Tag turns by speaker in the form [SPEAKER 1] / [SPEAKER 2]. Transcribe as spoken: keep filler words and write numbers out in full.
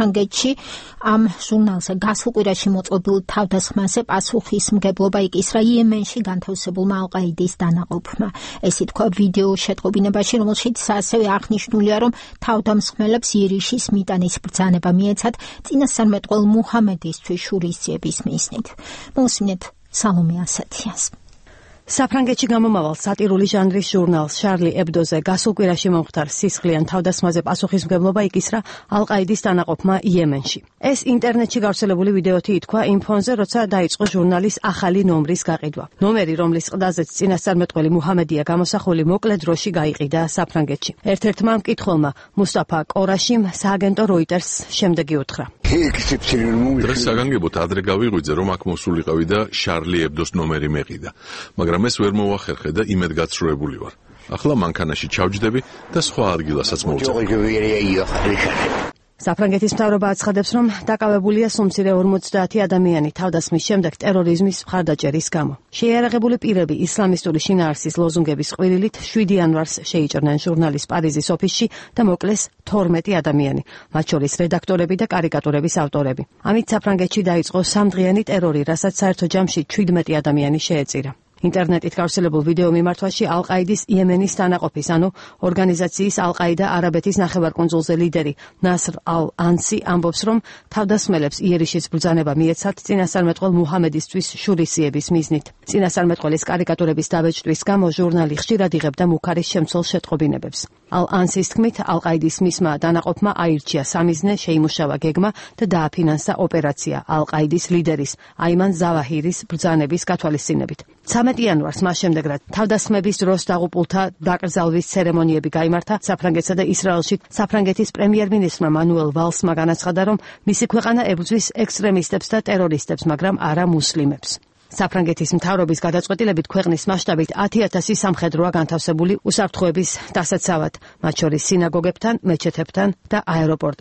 [SPEAKER 1] საფრანგეთში ამ ჟურნალზე გასულ კვირაში მოწყობილ თავდასხმაზე პასუხისმგებლობა იკისრა იემენში განთავსებულმა ალ-ყაიდის დანაყოფმა. ესე თქვა ვიდეო შეტყობინებაში, რომელშიც ასევე აღნიშნულია, რომ თავდამსხმელებს იერიშის მიტანის ბრძანება მიეცათ წინასწარმეტყველ მუჰამედისთვის შურისძიების მიზნით. მოსმინეთ სალომე ასათიანს.
[SPEAKER 2] საფრანგეთში გამომავალ სატირული ჟანრის ჟურნალს შარლი ებდოზე გასულ კვირაში მომხდარ სისხლიან თავდასხმაზე პასუხისმგებლობა იკისრა ალ-ყაიდის დანაყოფმა იემენში. ეს ინტერნეტში გავრცელებული ვიდეოთი ითქვა იმ ფონზე, როცა დაიწყო ჟურნალის ახალი ნომრის გაყიდვა. ნომერი, რომლის ყდაზეც წინასწარმეტყველი მუჰამედია გამოსახული, მოკლე დროში გაიყიდა საფრანგეთში. ერთ-ერთმა მკითხველმა მუსტაფა კორაშიმ სააგენტო როიტერს შემდეგი უთხრა.
[SPEAKER 3] დღეს საგანგებოდ ადრე გავიღვიძე, რომ აქ მოსულიყავი და შარლი ებდოს ნომერი მეყიდა, მაგრამ ეს ვერ მოვახერხე და იმედ გაცრუებული ვარ. ახლა მანქანაში ჩავჯდები და სხვა ადგილასაც მოვწევ.
[SPEAKER 2] საფრანგეთის მთავრობა აცხადებს, რომ დაკავებულია სულ ორმოცდაათი ადამიანი თავდასხმის შემდეგ ტერორიზმის მხარდაჭერის გამო. შეიარაღებული პირები ისლამისტური შინაარსის ლოზუნგების ყვირილით შვიდი იანვარს შეიჭრნენ ჟურნალის პარიზის ოფისში და მოკლეს თორმეტი ადამიანი, მათ შორის რედაქტორები და კარიკატურების ავტორები. ამით საფრანგეთში დაიწყო სამდღიანი ტერორი, რასაც საერთო ჯამში ჩვიდმეტი ადამიანი შეეწირა. ინტერნეტით გავრცელებულ ვიდეო მიმართვაში ალ-ყაიდის იემენის დანაყოფის, ანუ ორგანიზაციის ალ-ყაიდა არაბეთის ნახევარკუნძულზე ლიდერი ნასრ ალ-ანსი ამბობს, რომ თავდასხმელებს იერიშის ბრძანება მიეცათ წინასწარმეტყველ მუჰამედისთვის შურისძიების მიზნით. წინასწარმეტყველის კარიკატურების დაბეჭდვის გამო ჟურნალი ხშირად იღებდა მუქარის შემცველ შეტყობინებებს. ალ-ანსის თქმით, ალ-ყაიდის მისმა დანაყოფმა აირჩია სამიზნე, შეიმუშავა გეგმა და დააფინანსა ოპერაცია ალ-ყაიდის ლიდერის აიმან ზავაჰირის ბრძანების გათვალისწინებით. ცამეტი იანვარს მას შემდეგ, რაც თავდასხმების დროს დაღუპულთა დაკრძალვის ცერემონიები გაიმართა საფრანგეთსა და ისრაელში, საფრანგეთის პრემიერ-მინისტრმა მანუელ ვალსმა განაცხადა, რომ მისი ქვეყანა ებრძვის ექსტრემისტებს და ტერორისტებს, მაგრამ არა მუსლიმებს. საფრანგეთის მთავრობის გადაწყვეტილებით ქვეყნის მასშტაბით ათი ათასი სამხედროა განთავსებული უსაფრთხოების დასაცავად, მათ შორის სინაგოგებთან, მეჩეთებთან და აეროპორტ